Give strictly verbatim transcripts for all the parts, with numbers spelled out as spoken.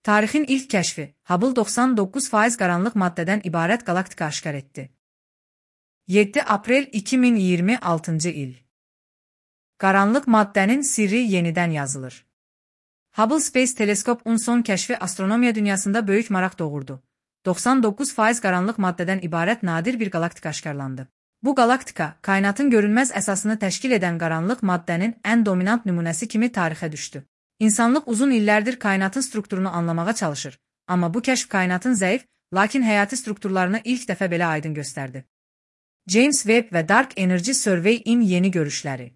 Tarixin ilk kəşfi, Hubble doxsan doqquz faiz qaranlıq maddədən ibarət galaktika aşkar etdi. yeddi aprel iki min iyirmi altıncı il. Qaranlıq maddənin sirri yenidən yazılır. Hubble Space Telescope-un son kəşfi astronomiya dünyasında böyük maraq doğurdu. doxsan doqquz faiz qaranlıq maddədən ibarət nadir bir galaktika aşkarlandı. Bu galaktika, kainatın görünməz əsasını təşkil edən qaranlıq maddənin ən dominant nümunəsi kimi tarixə düşdü. İnsanlıq uzun illərdir kainatın strukturunu anlamağa çalışır, amma bu kəşf kainatın zəif, lakin həyati strukturlarını ilk dəfə belə aydın göstərdi. James Webb və Dark Energy Survey-in yeni görüşləri.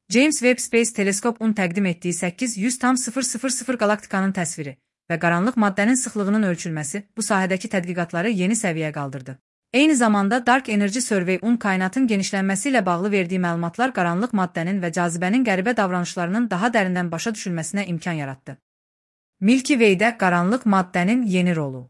James Webb Space Telescope-un təqdim etdiyi səkkiz yüz tam sıfır sıfır sıfır galaktikanın təsviri və qaranlıq maddənin sıxlığının ölçülməsi bu sahədəki tədqiqatları yeni səviyyəyə qaldırdı. Eyni zamanda Dark Energy Survey-un kainatın genişlənməsi ilə bağlı verdiyi məlumatlar qaranlıq maddənin və cazibənin qəribə davranışlarının daha dərindən başa düşülməsinə imkan yaratdı. Milky Way-də qaranlıq maddənin yeni rolu.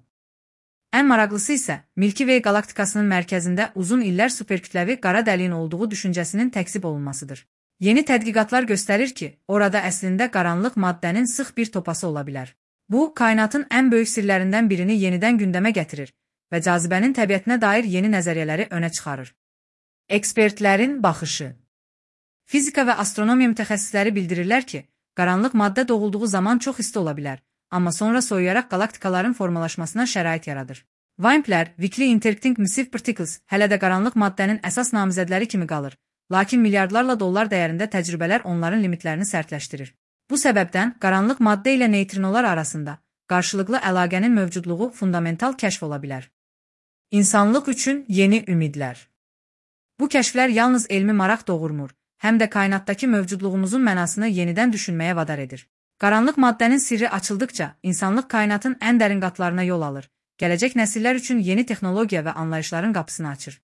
Ən maraqlısı isə Milky Way galaktikasının mərkəzində uzun illər superkütləvi qara dəliyin olduğu düşüncəsinin təkzib olunmasıdır. Yeni tədqiqatlar göstərir ki, orada əslində qaranlıq maddənin sıx bir topası ola bilər. Bu, kainatın ən böyük sirlərindən birini yenidən gündəmə gətirir və cazibənin təbiətinə dair yeni nəzəriyyələri önə çıxarır. Ekspertlərin baxışı. Fizika və astronomiya mütəxəssisləri bildirirlər ki, qaranlıq maddə doğulduğu zaman çox isti ola bilər, amma sonra soyuyaraq galaktikaların formalaşmasına şərait yaradır. WIMP-lər, Weakly Interacting Massive Particles, hələ də qaranlıq maddənin əsas namizədləri kimi qalır, lakin milyardlarla dollar dəyərində təcrübələr onların limitlərini sərtləşdirir. Bu səbəbdən qaranlıq maddə ilə neytrinolar arasında qarşılıqlı əlaqənin mövcudluğu fundamental kəşf ola bilər. İnsanlıq üçün yeni ümidlər. Bu kəşflər yalnız elmi maraq doğurmur, həm də kainatdakı mövcudluğumuzun mənasını yenidən düşünməyə vadar edir. Qaranlıq maddənin sirri açıldıqca, insanlıq kainatın ən dərin qatlarına yol alır, gələcək nəsillər üçün yeni texnologiya və anlayışların qapısını açır.